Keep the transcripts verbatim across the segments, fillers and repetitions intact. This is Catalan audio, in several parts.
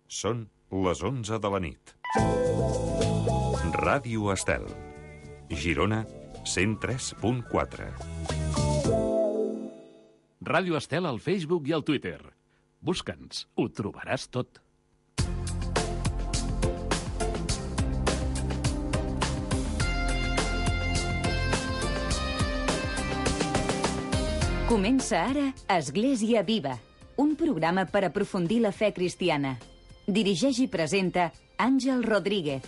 Són les onze de la nit. Ràdio Estel. Girona, cent tres punt quatre. Ràdio Estel al Facebook i al Twitter. Busca'ns, ho trobaràs tot. Comença ara Església Viva, un programa per aprofundir la fe cristiana. Dirigeix i presenta Àngel Rodríguez.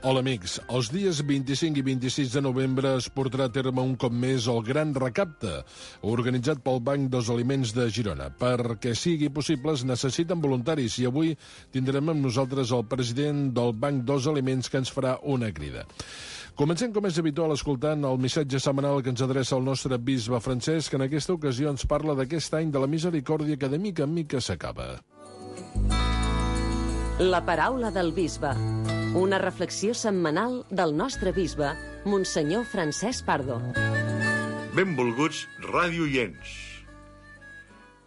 Hola amics, els dies vint-i-cinc i vint-i-sis de novembre es portarà a terme un cop més el Gran Recapte, organitzat pel Banc dels Aliments de Girona. Perquè sigui possible es necessiten voluntaris i avui tindrem amb nosaltres el president del Banc dels Aliments que ens farà una crida. Comencem, com és habitual, escoltant el missatge setmanal que ens adreça el nostre bisbe Francesc, que en aquesta ocasió ens parla d'aquest any de la misericòrdia que de mica en mica s'acaba. La paraula del bisbe. Una reflexió setmanal del nostre bisbe, Monsenyor Francesc Pardo. Benvolguts radioients.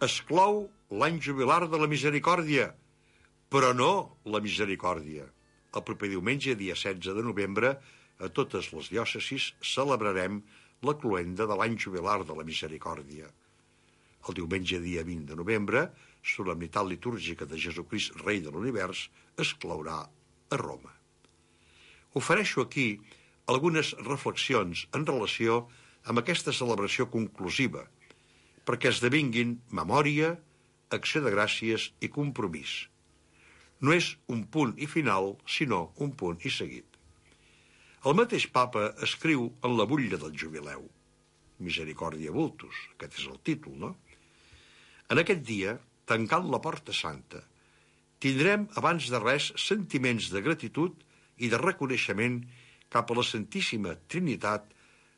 Es clou l'any jubilar de la misericòrdia, però no la misericòrdia. El proper diumenge, dia setze de novembre, a totes les diòcesis celebrarem la cloenda de l'any jubilar de la misericòrdia. El diumenge, dia vint de novembre, solemnitat litúrgica de Jesucrist, rei de l'univers, es clourà a Roma. Ofereixo aquí algunes reflexions en relació amb aquesta celebració conclusiva, perquè esdevinguin memòria, acció de gràcies i compromís. No és un punt i final, sinó un punt i seguit. El mateix papa escriu en la butlla del jubileu, Misericòrdia Vultus, aquest és el títol, no? En aquest dia, tancant la porta santa, tindrem abans de res sentiments de gratitud i de reconeixement cap a la Santíssima Trinitat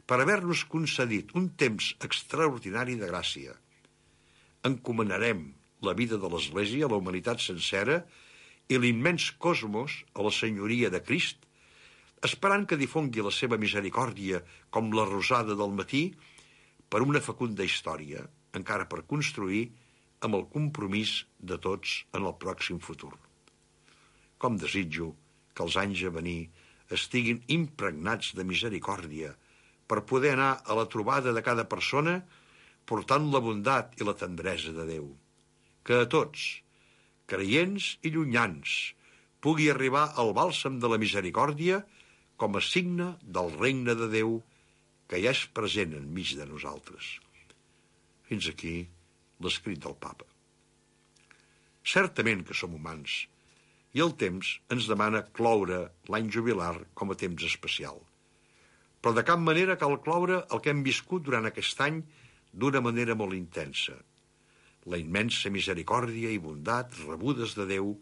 per haver-nos concedit un temps extraordinari de gràcia. Encomanarem la vida de l'Església a la humanitat sencera i l'immens cosmos a la senyoria de Crist, esperant que difongui la seva misericòrdia com la rosada del matí per una fecunda història, encara per construir amb el compromís de tots en el pròxim futur. Com desitjo que els anys a venir estiguin impregnats de misericòrdia per poder anar a la trobada de cada persona portant la bondat i la tendresa de Déu. Que a tots, creients i llunyans, pugui arribar al bàlsam de la misericòrdia com a signe del regne de Déu que ja és present enmig de nosaltres. Fins aquí l'escrit del papa. Certament que som humans, i el temps ens demana cloure l'any jubilar com a temps especial. Però de cap manera cal cloure el que hem viscut durant aquest any d'una manera molt intensa. La immensa misericòrdia i bondat rebudes de Déu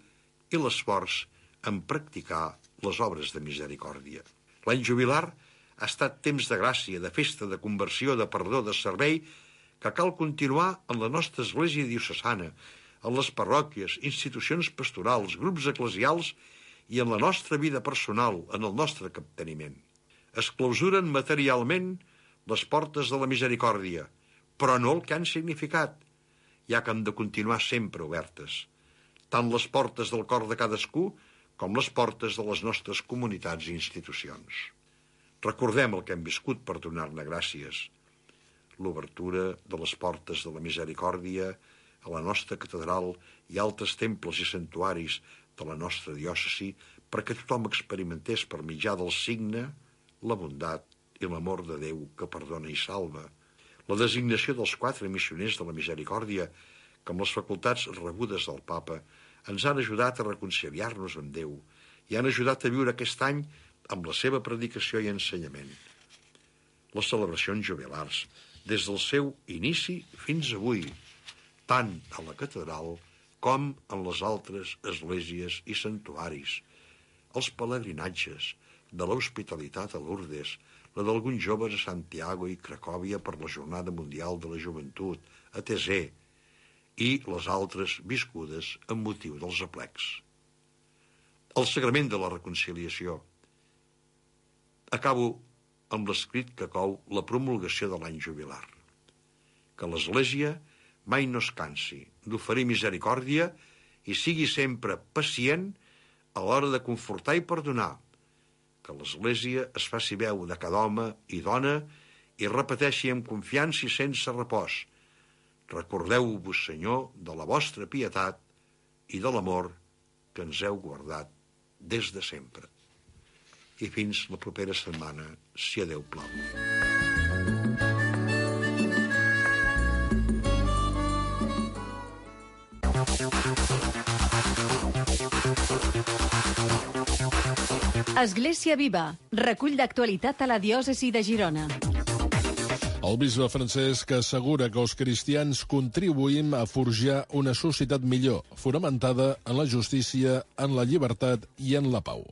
i l'esforç en practicar les obres de misericòrdia. L'any jubilar ha estat temps de gràcia, de festa, de conversió, de perdó, de servei, que cal continuar en la nostra església diocesana, en les parròquies, institucions pastorals, grups eclesials i en la nostra vida personal, en el nostre capteniment. Es clausuren materialment les portes de la misericòrdia, però no el que han significat, ja que han de continuar sempre obertes, tant les portes del cor de cadascú com les portes de les nostres comunitats i institucions. Recordem el que hem viscut per donar-ne gràcies. L'obertura de les portes de la misericòrdia a la nostra catedral i altres temples i santuaris de la nostra diòcesi perquè tothom experimentés per mitjà del signe la bondat i l'amor de Déu que perdona i salva. La designació dels quatre missioners de la misericòrdia, que amb les facultats rebudes del papa, ens han ajudat a reconciliar-nos amb Déu i han ajudat a viure aquest any amb la seva predicació i ensenyament. Les celebracions jubilars, des del seu inici fins avui, tant a la catedral com en les altres esglésies i santuaris, els pelegrinatges de l'hospitalitat a Lourdes, la d'alguns joves a Santiago i Cracòvia per la Jornada Mundial de la Joventut, a Thésée, i les altres viscudes amb motiu dels aplecs. El sagrament de la reconciliació. Acabo amb l'escrit que cou la promulgació de l'any jubilar. Que l'Església mai no es cansi d'oferir misericòrdia i sigui sempre pacient a l'hora de confortar i perdonar, que l'Església es faci veu de cada home i dona i repeteixi amb confiança i sense repòs: recordeu-vos, Senyor, de la vostra pietat i de l'amor que ens heu guardat des de sempre. I fins la propera setmana, si a Déu plau. Església Viva, recull d'actualitat a la diòcesi de Girona. El bisbe Francesc assegura que els cristians contribuïm a forjar una societat millor, fonamentada en la justícia, en la llibertat i en la pau.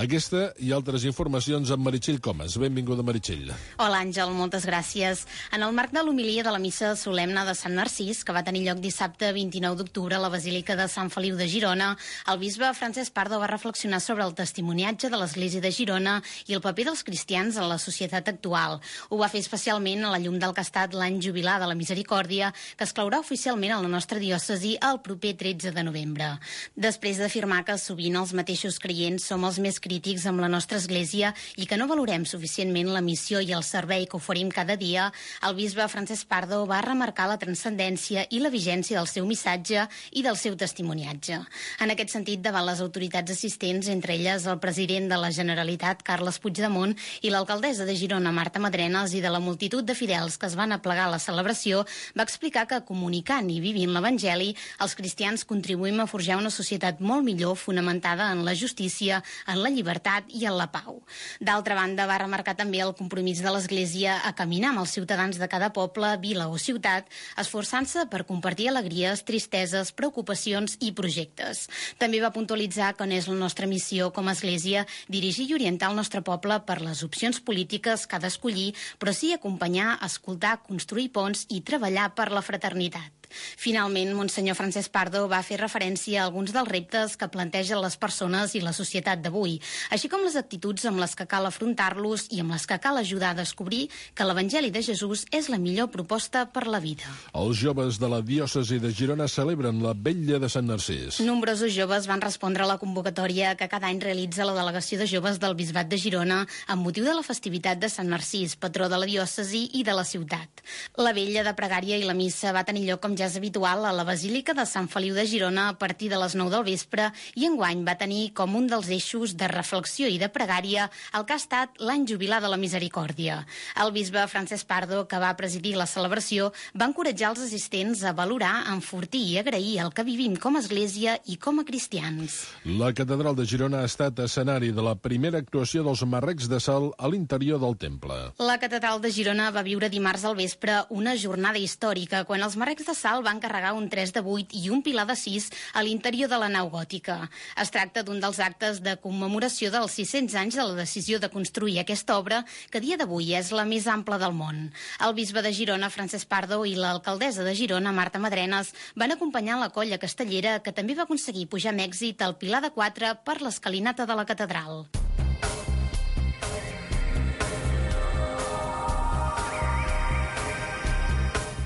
Aquesta i altres informacions amb Meritxell Comas. Benvinguda, Meritxell. Hola, Àngel, moltes gràcies. En el marc de l'homilia de la missa solemne de Sant Narcís, que va tenir lloc dissabte vint-i-nou d'octubre a la Basílica de Sant Feliu de Girona, el bisbe Francesc Pardo va reflexionar sobre el testimoniatge de l'Església de Girona i el paper dels cristians en la societat actual. Ho va fer especialment a la llum del que ha estat l'any jubilar de la Misericòrdia, que es claurà oficialment a la nostra diòcesi el proper tretze de novembre. Després d'afirmar que sovint els mateixos creients som els més crítics amb la nostra Església i que no valorem suficientment la missió i el servei que oferim cada dia, el bisbe Francesc Pardo va remarcar la transcendència i la vigència del seu missatge i del seu testimoniatge. En aquest sentit, davant les autoritats assistents, entre elles el president de la Generalitat, Carles Puigdemont, i l'alcaldessa de Girona, Marta Madrenas, i de la multitud de fidels que es van aplegar a la celebració, va explicar que comunicant i vivint l'Evangeli, els cristians contribuïm a forjar una societat molt millor fonamentada en la justícia, en la llibertat i en la pau. D'altra banda, va remarcar també el compromís de l'Església a caminar amb els ciutadans de cada poble, vila o ciutat, esforçant-se per compartir alegries, tristeses, preocupacions i projectes. També va puntualitzar que n'és la nostra missió com a Església dirigir i orientar el nostre poble per les opcions polítiques que ha d'escollir, però sí acompanyar, escoltar, construir ponts i treballar per la fraternitat. Finalment, Monsenyor Francesc Pardo va fer referència a alguns dels reptes que plantegen les persones i la societat d'avui, així com les actituds amb les que cal afrontar-los i amb les que cal ajudar a descobrir que l'Evangeli de Jesús és la millor proposta per la vida. Els joves de la diòcesi de Girona celebren la Vetlla de Sant Narcís. Nombrosos joves van respondre a la convocatòria que cada any realitza la Delegació de Joves del Bisbat de Girona amb motiu de la festivitat de Sant Narcís, patró de la diòcesi i de la ciutat. La vetlla de pregària i la missa va tenir lloc, com ja és habitual, a la Basílica de Sant Feliu de Girona a partir de les nou del vespre i enguany va tenir com un dels eixos de reflexió i de pregària el que ha estat l'any jubilar de la Misericòrdia. El bisbe Francesc Pardo, que va presidir la celebració, va encoratjar els assistents a valorar, enfortir i agrair el que vivim com a Església i com a cristians. La Catedral de Girona ha estat escenari de la primera actuació dels marrecs de sal a l'interior del temple. La Catedral de Girona va viure dimarts al vespre una jornada històrica quan els marrecs de sal van carregar un tres de vuit i un pilar de sis a l'interior de la nau gòtica. Es tracta d'un dels actes de commemoració dels sis-cents anys de la decisió de construir aquesta obra, que a dia d'avui és la més ampla del món. El bisbe de Girona, Francesc Pardo, i l'alcaldessa de Girona, Marta Madrenas, van acompanyar la colla castellera, que també va aconseguir pujar amb èxit al pilar de quatre per l'escalinata de la catedral.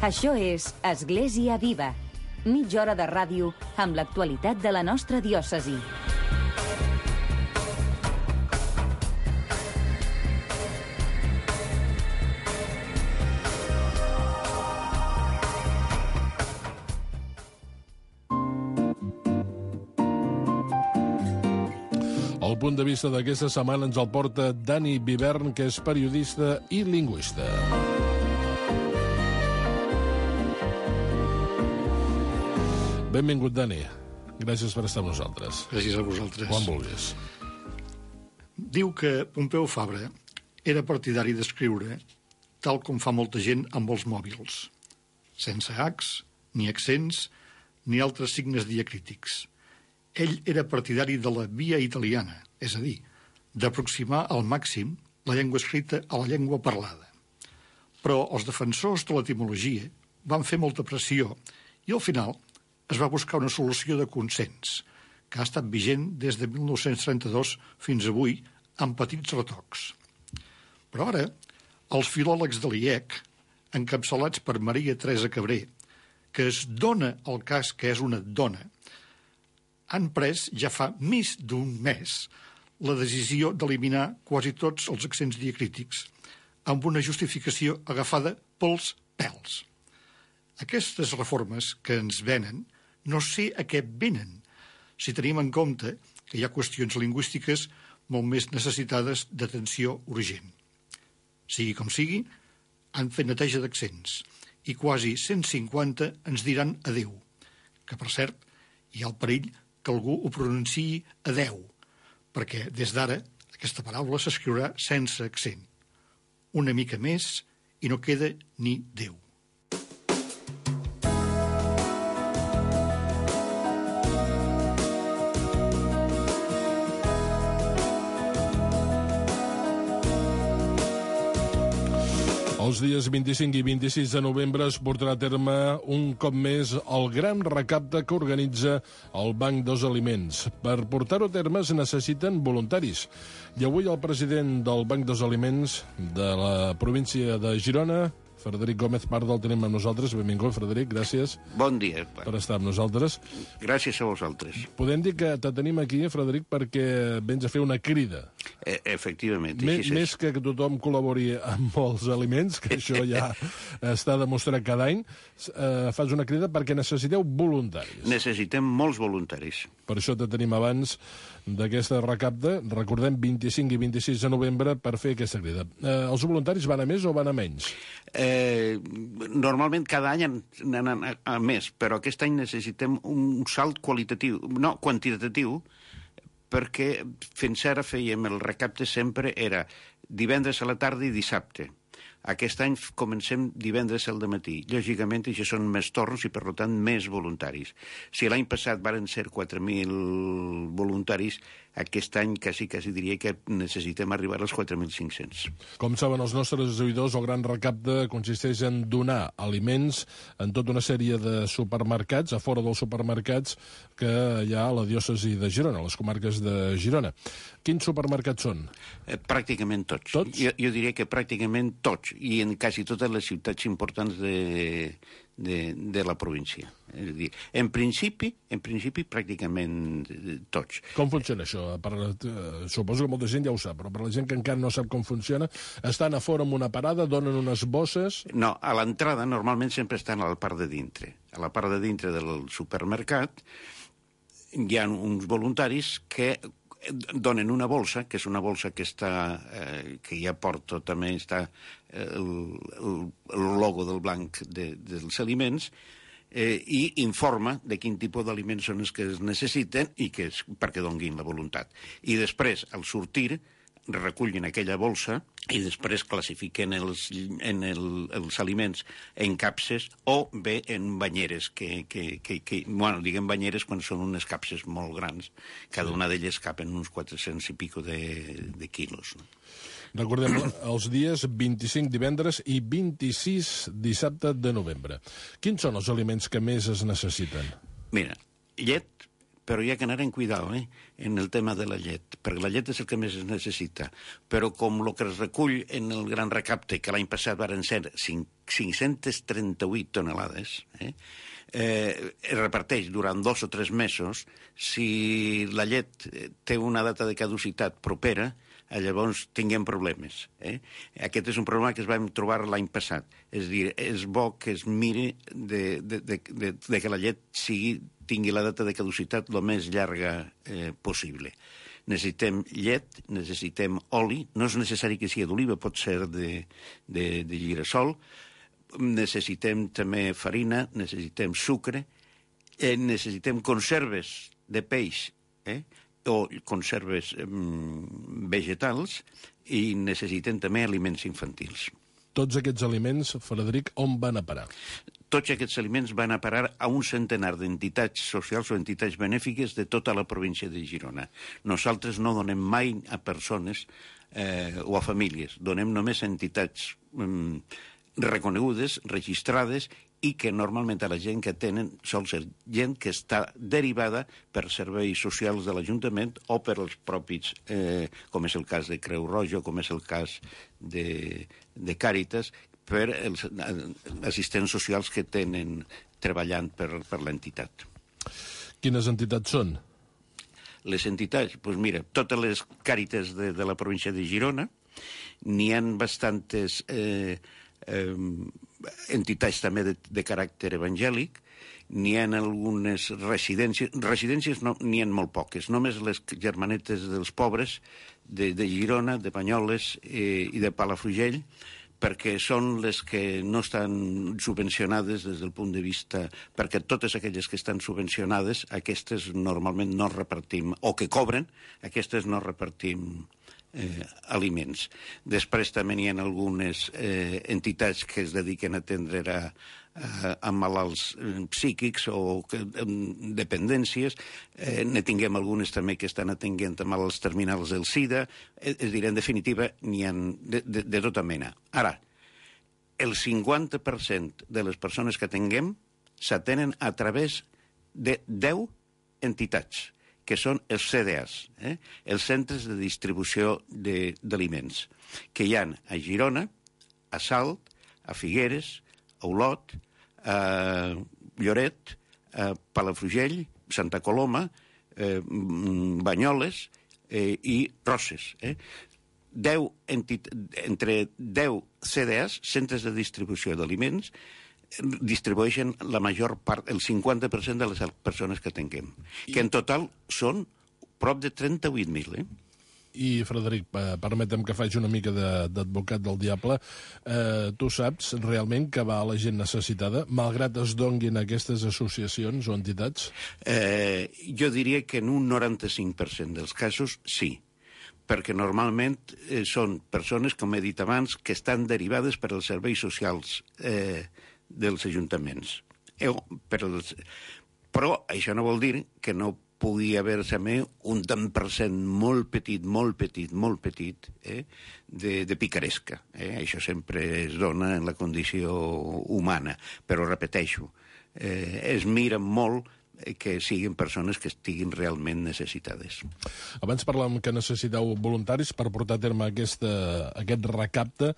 Això és Església Viva, mitja hora de ràdio amb l'actualitat de la nostra diòcesi. El punt de vista d'aquesta setmana ens el porta Dani Vivern, que és periodista i lingüista. Benvingut, Dani. Gràcies per estar amb nosaltres. Gràcies a vosaltres. Quan vulguis. Diu que Pompeu Fabra era partidari d'escriure tal com fa molta gent amb els mòbils, sense hacs, ni accents, ni altres signes diacrítics. Ell era partidari de la via italiana, és a dir, d'aproximar al màxim la llengua escrita a la llengua parlada. Però els defensors de l'etimologia van fer molta pressió i al final es va buscar una solució de consens, que ha estat vigent des de mil nou-cents trenta-dos fins avui, amb petits retocs. Però ara, els filòlegs de l'I E C, encapçalats per Maria Teresa Cabré, que es dona el cas que és una dona, han pres ja fa més d'un mes la decisió d'eliminar quasi tots els accents diacrítics, amb una justificació agafada pels pèls. Aquestes reformes que ens venen no sé a què venen, si tenim en compte que hi ha qüestions lingüístiques molt més necessitades d'atenció urgent. Sigui com sigui, han fet neteja d'accents i quasi cent cinquanta ens diran adeu, que per cert hi ha el perill que algú ho pronunciï adeu, perquè des d'ara aquesta paraula s'escriurà sense accent. Una mica més i no queda ni Déu. Els dies vint-i-cinc i vint-i-sis de novembre es portarà a terme un cop més el gran recapte que organitza el Banc dels Aliments. Per portar-ho a terme es necessiten voluntaris. I avui el president del Banc dels Aliments de la província de Girona, Frederic Gómez Pardo, el tenim amb nosaltres. Benvingut, Frederic, gràcies. Bon dia. Per estar amb nosaltres. Gràcies a vosaltres. Podem dir que te tenim aquí, Frederic, perquè vens a fer una crida. E efectivament. Més, més que tothom col·labori amb els aliments, que això ja està demostrat cada any, eh, fas una crida perquè necessiteu voluntaris. Necessitem molts voluntaris. Per això te tenim abans d'aquesta recapta. Recordem vint-i-cinc i vint-i-sis de novembre per fer aquesta crida. Eh, els voluntaris van a més o van a menys? Eh, normalment cada any anen a, a més, però aquest any necessitem un salt qualitatiu, no, quantitatiu, perquè fins ara fèiem el recapte sempre era divendres a la tarda i dissabte. Aquest any comencem divendres al dematí. Lògicament, això són més torns i, per tant, més voluntaris. Si l'any passat varen ser quatre mil voluntaris, aquest any quasi, quasi diria que necessitem arribar als quatre mil cinc-cents. Com saben els nostres oïdors, el gran recapte consisteix en donar aliments en tota una sèrie de supermercats, a fora dels supermercats que hi ha a la diòcesi de Girona, a les comarques de Girona. Quins supermercats són? Eh, pràcticament tots. Tots? Jo, jo diria que pràcticament tots, i en quasi totes les ciutats importants de, de, de la província. És a dir, en principi, en principi pràcticament tots. Com funciona això? Per, eh, suposo que molta gent ja ho sap, però per la gent que encara no sap com funciona, estan a fora amb una parada, donen unes bosses... No, a l'entrada normalment sempre estan a la part de dintre. A la part de dintre del supermercat hi ha uns voluntaris que donen una bolsa, que és una bolsa que està, eh, que ja porta també està eh, el, el, el logo del blanc de, dels aliments, eh, i informa de quin tipus d'aliments són els que es necessiten i que és perquè donguin la voluntat. I després, al sortir, recullen aquella bolsa i després classifiquen els, en el, els aliments en capses o bé en banyeres, que, que, que, que bueno, diguem banyeres quan són unes capses molt grans. Cada una d'elles capen uns quatre-cents i pico de, de quilos. No? Recordem els dies vint-i-cinc divendres i vint-i-sis dissabte de novembre. Quins són els aliments que més es necessiten? Mira, llet, però hi ha que anar en cuidado, eh? en el tema de la llet, perquè la llet és el que més es necessita. Però com el que es recull en el gran recapte, que l'any passat varen ser cinc-centes trenta-vuit tonelades, eh? Eh, es reparteix durant dos o tres mesos. Si la llet té una data de caducitat propera, llavors tinguem problemes. Eh? Aquest és un problema que es vam trobar l'any passat. És a dir, és bo que es miri de, de, de, de, de que la llet sigui, tingui la data de caducitat el més llarga eh, possible. Necessitem llet, necessitem oli, no és necessari que sigui d'oliva, pot ser de, de, de girassol, necessitem també farina, necessitem sucre, eh, necessitem conserves de peix, eh? o conserves mm, vegetals, i necessitem també aliments infantils. Tots aquests aliments, Frederic, on van a parar? Tots aquests aliments van a parar a un centenar d'entitats socials o entitats benèfiques de tota la província de Girona. Nosaltres no donem mai a persones eh, o a famílies, donem només a entitats mm, reconegudes, registrades, i que normalment a la gent que tenen sol ser gent que està derivada per serveis socials de l'Ajuntament o per als propis, eh, com és el cas de Creu Roja, com és el cas de, de Càritas, per els assistents socials que tenen, treballant per, per l'entitat. Quines entitats són? Les entitats, doncs mira, totes les càritas de, de la província de Girona, n'hi ha bastantes eh, eh, entitats també de, de caràcter evangèlic, n'hi ha algunes residències, residències no, n'hi ha molt poques, només les germanetes dels pobres de, de Girona, de Banyoles eh, i de Palafrugell, perquè són les que no estan subvencionades des del punt de vista... Perquè totes aquelles que estan subvencionades, aquestes normalment no repartim, o que cobren, aquestes no repartim eh, aliments. Després també n'hi ha algunes eh, entitats que es dediquen a atendre a, a, a malalts eh, psíquics o que, eh, dependències. Eh, ne tinguem algunes també que estan atenguent a malalts terminals del SIDA. Eh, és a dir, en definitiva, n'hi ha de, de, de tota mena. Ara, el cinquanta per cent de les persones que atenguem s'atenen a través de deu entitats, que són els C D As, eh? els centres de distribució d'aliments, que hi ha a Girona, a Salt, a Figueres, a Olot, a Lloret, a Palafrugell, Santa Coloma, eh, Banyoles eh, i Roses. Eh? deu entit... Entre deu C D As, centres de distribució d'aliments, distribueixen la major part, el cinquanta per cent de les persones que atenguem, que en total són prop de trenta-vuit mil, eh? I, Frederic, permetem que faci una mica d'advocat del diable. Eh, tu saps realment que va a la gent necessitada, malgrat es donguin aquestes associacions o entitats? Eh, jo diria que en un noranta-cinc per cent dels casos sí, perquè normalment eh, són persones, com he dit abans, que estan derivades per als serveis socials eh, dels ajuntaments. Eh, per els... Però això no vol dir que no pugui haver-se un tant per cent molt petit, molt petit, molt petit, eh, de, de picaresca. Eh? Això sempre es dona en la condició humana, però repeteixo, eh, es mira molt que siguin persones que estiguin realment necessitades. Abans parlàvem que necessiteu voluntaris per portar a terme aquesta, aquest recapte.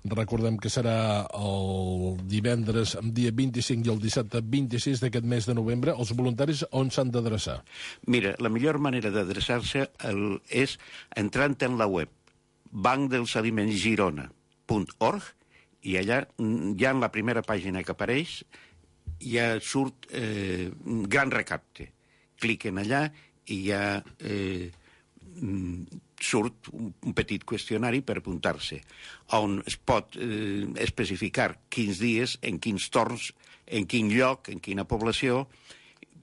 Recordem que serà el divendres, dia vint-i-cinc i el dissabte vint-i-sis d'aquest mes de novembre. Els voluntaris on s'han d'adreçar? Mira, la millor manera d'adreçar-se és entrant en la web banc dels aliments girona punt org i allà ja en la primera pàgina que apareix ja surt eh, gran recapte. Cliquen allà i ja eh, surt un petit qüestionari per apuntar-se, on es pot eh, especificar quins dies, en quins torns, en quin lloc, en quina població,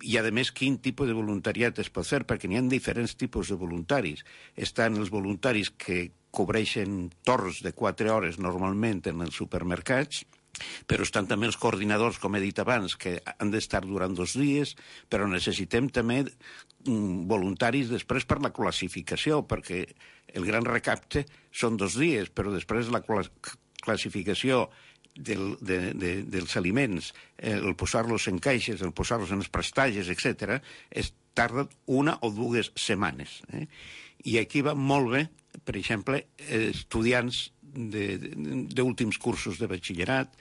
i, a més, quin tipus de voluntariat es pot fer, perquè n'hi ha diferents tipus de voluntaris. Estan els voluntaris que cobreixen torns de quatre hores normalment en els supermercats, però estan també els coordinadors, com he dit abans, que han d'estar durant dos dies, però necessitem també mm, voluntaris després per la classificació, perquè el gran recapte són dos dies, però després la classificació del, de, de, dels aliments, el posar-los en caixes, el posar-los en els prestatges, etcètera, es tarda una o dues setmanes. Eh? I aquí va molt bé, per exemple, estudiants d'últims cursos de batxillerat,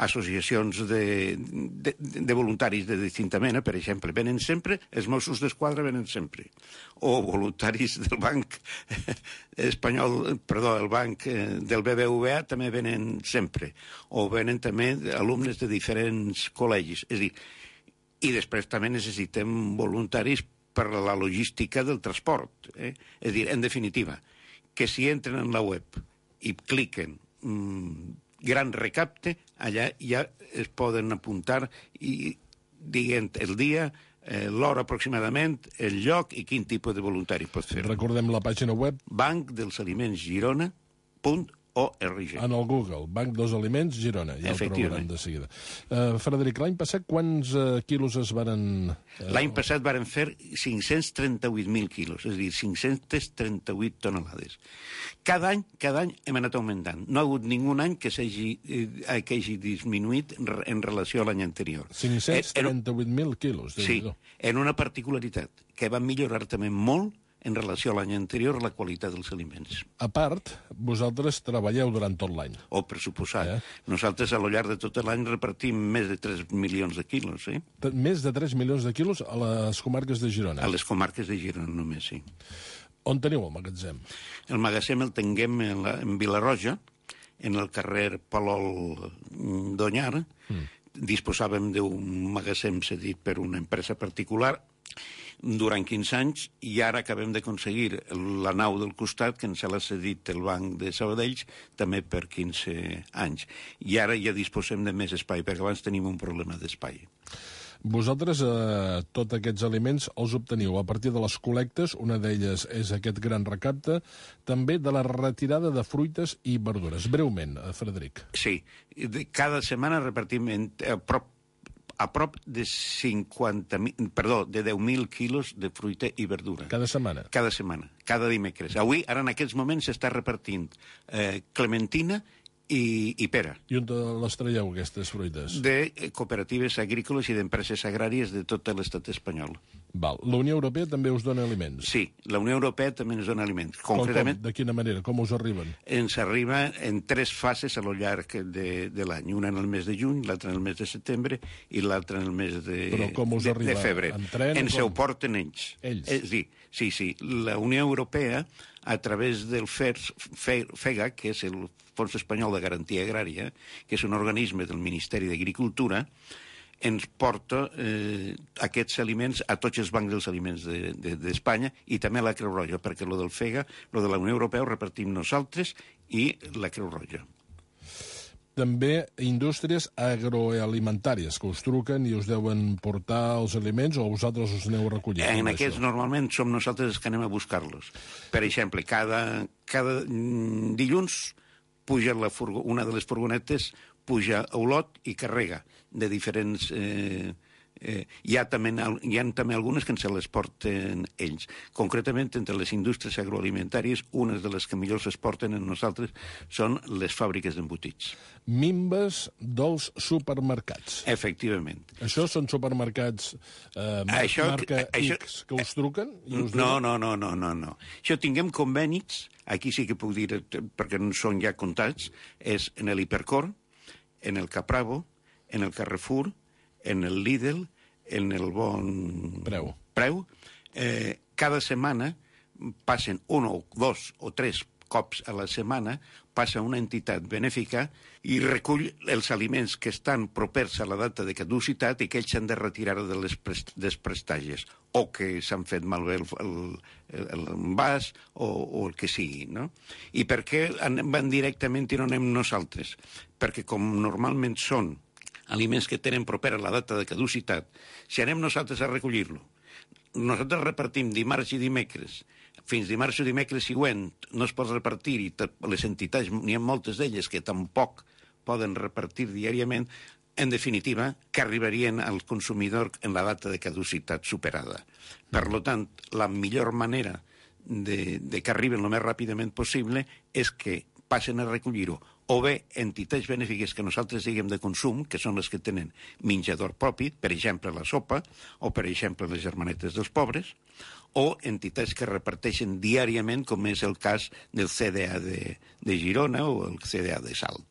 associacions de, de, de voluntaris de distinta mena, per exemple, venen sempre, els Mossos d'Esquadra venen sempre, o voluntaris del banc espanyol, perdó, el banc del B B V A també venen sempre, o venen també alumnes de diferents col·legis. És a dir, i després també necessitem voluntaris per a la logística del transport. Eh? És a dir, en definitiva, que si entren en la web i cliquen mmm, gran recapte, allà ja es poden apuntar i dient el dia, eh, l'hora aproximadament, el lloc i quin tipus de voluntari pot fer. Recordem la pàgina web banc dels aliments girona punt org. En el Google, Banc dels Aliments Girona, ja el trobaran de seguida. Uh, Frederic, l'any passat quants uh, quilos es varen... Uh... L'any passat varen fer cinc-cents trenta-vuit mil quilos, és a dir, cinc-cents trenta-vuit tonelades. Cada any, cada any hem anat augmentant. No ha hagut ningú any que s'hagi eh, que hagi disminuït en relació a l'any anterior. cinc-cents trenta-vuit mil quilos, sí, en una particularitat, que va millorar també molt en relació a l'any anterior la qualitat dels aliments. A part, vosaltres treballeu durant tot l'any. Oh, per suposat. Eh? Nosaltres a lo llarg de tot l'any repartim més de tres milions de quilos, eh? Més de tres milions de quilos a les comarques de Girona. A les comarques de Girona només, sí. On teniu el magatzem? El magatzem el tinguem en, la, en Vilarroja, en el carrer Palol d'Onyar. Mm. Disposàvem d'un magatzem cedit per una empresa particular durant quinze anys i ara acabem d'aconseguir la nau del costat que ens l'ha cedit el Banc de Sabadell també per quinze anys. I ara ja disposem de més espai, perquè abans tenim un problema d'espai. Vosaltres, eh, tots aquests aliments els obteniu a partir de les col·lectes, una d'elles és aquest gran recapte, també de la retirada de fruites i verdures. Breument, eh, Frederic. Sí, cada setmana repartim en, a prop a prop de cinquanta mil, perdó, de deu mil quilos de fruita i verdura. Cada setmana? Cada setmana, cada dimecres. Avui, ara en aquests moments, s'està repartint eh, clementina i, i pera. I on les traieu, aquestes fruites? De cooperatives agrícoles i d'empreses agràries de tot l'estat espanyol. Val. La Unió Europea també us dona aliments? Sí, la Unió Europea també ens dona aliments. Concretament, com? De quina manera? Com us arriben? Ens arriba en tres fases a lo llarg de, de l'any. Una en el mes de juny, l'altra en el mes de setembre i l'altra en el mes de, Però com us de, arriba? de febrer. En tren? Ens ho porten ells. Ells? Eh, sí, sí, sí. La Unió Europea, a través del FEGA, que és el Fons Espanyol de Garantia Agrària, que és un organisme del Ministeri d'Agricultura, ens porta eh, aquests aliments a tots els bancs dels aliments d'Espanya de, de, i també a la Creu Roja, perquè lo del FEGA, lo de la Unió Europea ho repartim nosaltres i la Creu Roja. També indústries agroalimentàries que us truquen i us deuen portar els aliments o vosaltres us aneu a recollir? En aquests això? Normalment som nosaltres els que anem a buscar-los. Per exemple, cada, cada dilluns puja la furgo, una de les furgonetes puja a Olot i carrega de diferents... Eh, eh, hi, ha també, hi ha també algunes que ens les porten ells. Concretament, entre les indústries agroalimentàries, unes de les que millor es porten en nosaltres són les fàbriques d'embotits. Minves dels supermercats. Efectivament. Això són supermercats eh, això, marca això, X que us truquen? I us no, no, no, no, no, no. Això tinguem convenis, aquí sí que puc dir, perquè no són ja comptats, és en l'Hipercor, en el Capravo, en el Carrefour, en el Lidl, en el Bon Preu. Preu. Eh, cada setmana passen un o dos o tres cops a la setmana, passa una entitat benèfica i recull els aliments que estan propers a la data de caducitat i que ells s'han de retirar de les prest dels prestatges, o que s'han fet malbé el, el, el envàs o, o el que sigui, no? I per què van directament i no anem nosaltres? Perquè com normalment són aliments que tenen proper a la data de caducitat, si anem nosaltres a recollir-lo, nosaltres repartim dimarts i dimecres, fins dimarts o dimecres següent no es pot repartir i les entitats, n'hi ha moltes d'elles que tampoc poden repartir diàriament, en definitiva, que arribarien al consumidor en la data de caducitat superada. Per tant, la millor manera de, de que arriben el més ràpidament possible és que passen a recollir-ho o bé entitats benèfiques que nosaltres diguem de consum, que són les que tenen menjador propi, per exemple la sopa, o per exemple les germanetes dels pobres, o entitats que reparteixen diàriament, com és el cas del C D A de, de Girona o el C D A de Salt.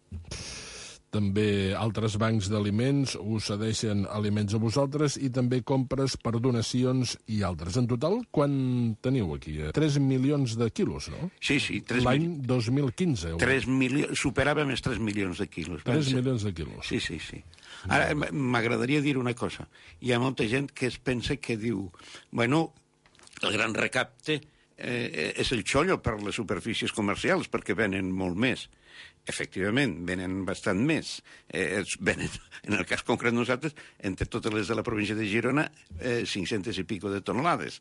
També altres bancs d'aliments us cedeixen aliments a vosaltres i també compres per donacions i altres. En total, quan teniu aquí? tres milions de quilos, no? Sí, sí. L'any dos mil quinze. tres milions, superàvem els tres milions de quilos. tres milions de quilos. Sí, sí, sí. Ara, m'agradaria dir una cosa. Hi ha molta gent que es pensa que diu, bueno, el gran recapte eh, és el xollo per les superfícies comercials, perquè venen molt més. Efectivament, venen bastant més. Eh, venen, en el cas concret nosaltres, entre totes les de la província de Girona, eh, cinc-centes i pico de tonelades.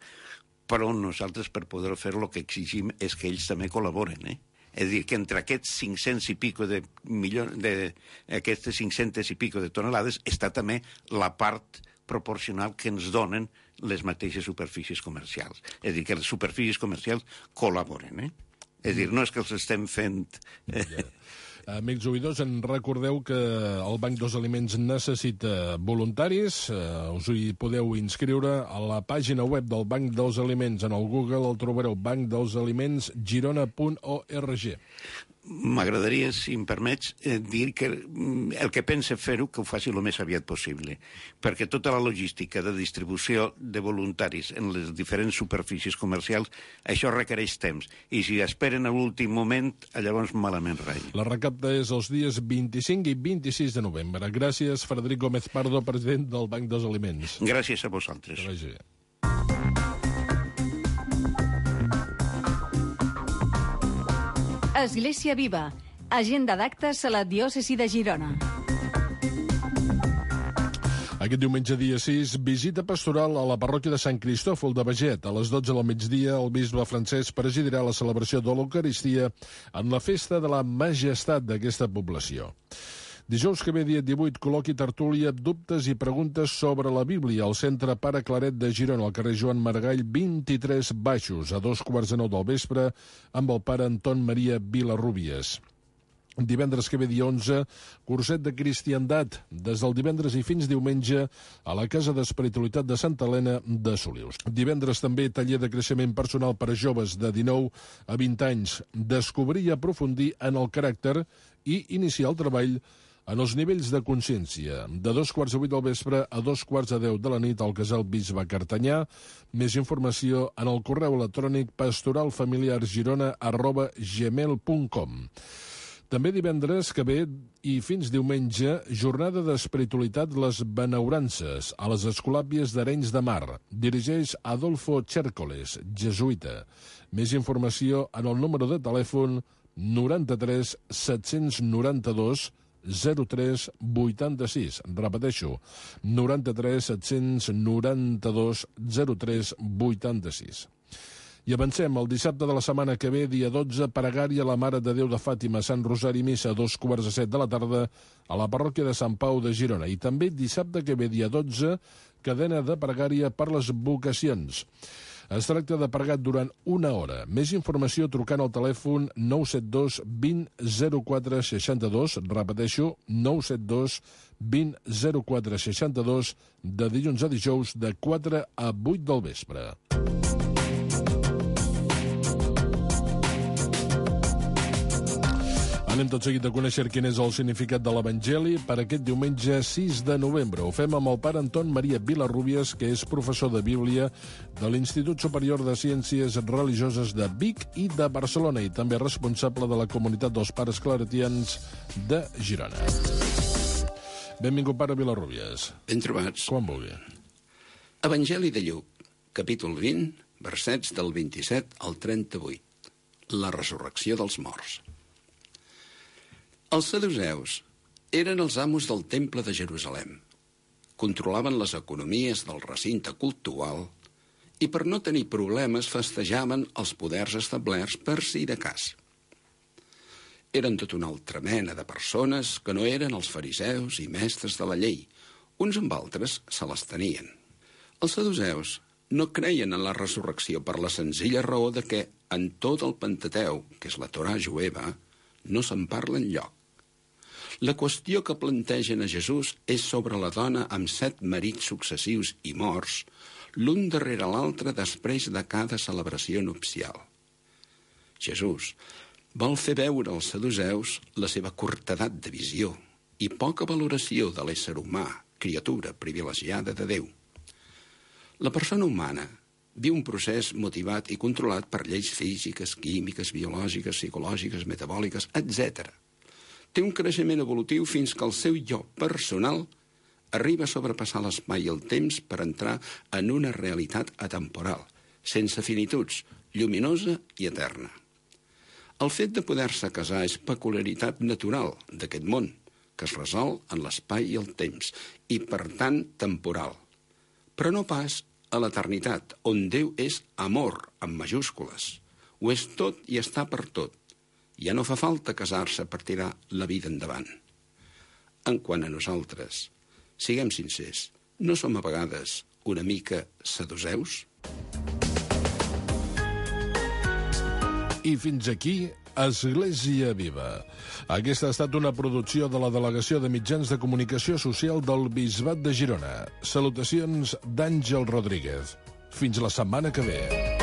Però nosaltres, per poder fer el que exigim és que ells també col·laboren, eh? És a dir, que entre aquests cinc-cents i pico de milions, de, aquestes cinc-centes i pico de tonelades està també la part proporcional que ens donen les mateixes superfícies comercials. És a dir, que les superfícies comercials col·laboren, eh? És a dir, no és que els estem fent... Eh... Ja. Amics oïdors, en recordeu que el Banc dels Aliments necessita voluntaris. Uh, us hi podeu inscriure a la pàgina web del Banc dels Aliments. En el Google el trobareu, banc dels aliments girona punt org. M'agradaria, si em permets, eh, dir que el que pensa fer-ho, que ho faci el més aviat possible, perquè tota la logística de distribució de voluntaris en les diferents superfícies comercials, això requereix temps, i si esperen a l'últim moment, llavors malament rai. La recapta és els dies vint-i-cinc i vint-i-sis de novembre. Gràcies, Frederic Gómez Pardo, president del Banc dels Aliments. Gràcies a vosaltres. Que vagi bé. Església Viva. Agenda d'actes a la diòcesi de Girona. Aquest diumenge dia sis, visita pastoral a la parròquia de Sant Cristòfol de Beget. A les dotze del migdia, el bisbe Francesc presidirà la celebració de l'Eucaristia en la festa de la majestat d'aquesta població. Dijous que ve, dia divuit, col·loqui tertúlia, dubtes i preguntes sobre la Bíblia al Centre Pare Claret de Girona, al carrer Joan Maragall, vint-i-tres Baixos, a dos quarts de nou del vespre, amb el pare Anton Maria Vilarrubias. Divendres que ve, dia onze, curset de cristiandat, des del divendres i fins diumenge, a la Casa d'Espiritualitat de Santa Helena de Solius. Divendres també taller de creixement personal per a joves de dinou a vint anys, descobrir i aprofundir en el caràcter i iniciar el treball en els nivells de consciència, de dos quarts de vuit del vespre a dos quarts de deu de la nit al Casal Bisbe Cartanyà. Més informació en el correu electrònic pastoralfamiliargirona arroba gmail punt com. També divendres que ve i fins diumenge, jornada d'espiritualitat Les Benaurances, a les Escolàpies d'Arenys de Mar. Dirigeix Adolfo Chércoles, jesuïta. Més informació en el número de telèfon noranta-tres set-cents noranta-dos zero tres vuitanta-sis. Repeteixo, noranta-tres set-cents noranta-dos zero tres vuitanta-sis. I avancem, el dissabte de la setmana que ve, dia dotze, pregària a la Mare de Déu de Fàtima, Sant Rosari Missa, a dos quarts de set de la tarda, a la parròquia de Sant Pau de Girona. I també dissabte que ve, dia dotze, cadena de pregària per les vocacions. Es tracta de pregar durant una hora. Més informació trucant al telèfon nou set dos vint zero quatre seixanta-dos, repeteixo, nou set dos vint zero quatre seixanta-dos, de dilluns a dijous, de quatre a vuit del vespre. Anem tot seguit a conèixer quin és el significat de l'Evangeli per aquest diumenge sis de novembre. Ho fem amb el pare Anton Maria Vilarrubias, que és professor de Bíblia de l'Institut Superior de Ciències Religioses de Vic i de Barcelona, i també responsable de la comunitat dels pares claretians de Girona. Benvingut, pare Vilarrubias. Ben trobats. Quan vulgui. Evangeli de Lluc, capítol vint, versets del vint-i-set al trenta-vuit. La resurrecció dels morts. Els saduceus eren els amos del temple de Jerusalem. Controlaven les economies del recinte cultual i per no tenir problemes festejaven els poders establerts per si de cas. Eren tot una altra mena de persones que no eren els fariseus i mestres de la llei. Uns amb altres se les tenien. Els saduceus no creien en la resurrecció per la senzilla raó de que en tot el Pentateu, que és la Torà jueva, no se'n parla enlloc. La qüestió que plantegen a Jesús és sobre la dona amb set marits successius i morts, l'un darrere l'altre després de cada celebració nupcial. Jesús vol fer veure als saduceus la seva curtedat de visió i poca valoració de l'ésser humà, criatura privilegiada de Déu. La persona humana viu un procés motivat i controlat per lleis físiques, químiques, biològiques, psicològiques, metabòliques, etcètera. Té un creixement evolutiu fins que el seu jo personal arriba a sobrepassar l'espai i el temps per entrar en una realitat atemporal, sense finituds, lluminosa i eterna. El fet de poder-se casar és peculiaritat natural d'aquest món, que es resol en l'espai i el temps, i per tant temporal. Però no pas a l'eternitat, on Déu és amor, amb majúscules. Ho és tot i està per tot. Ja no fa falta casar-se per tirar la vida endavant. En quant a nosaltres, siguem sincers, no som a vegades una mica saduceus? I fins aquí Església Viva. Aquesta ha estat una producció de la Delegació de Mitjans de Comunicació Social del Bisbat de Girona. Salutacions d'Àngel Rodríguez. Fins la setmana que ve.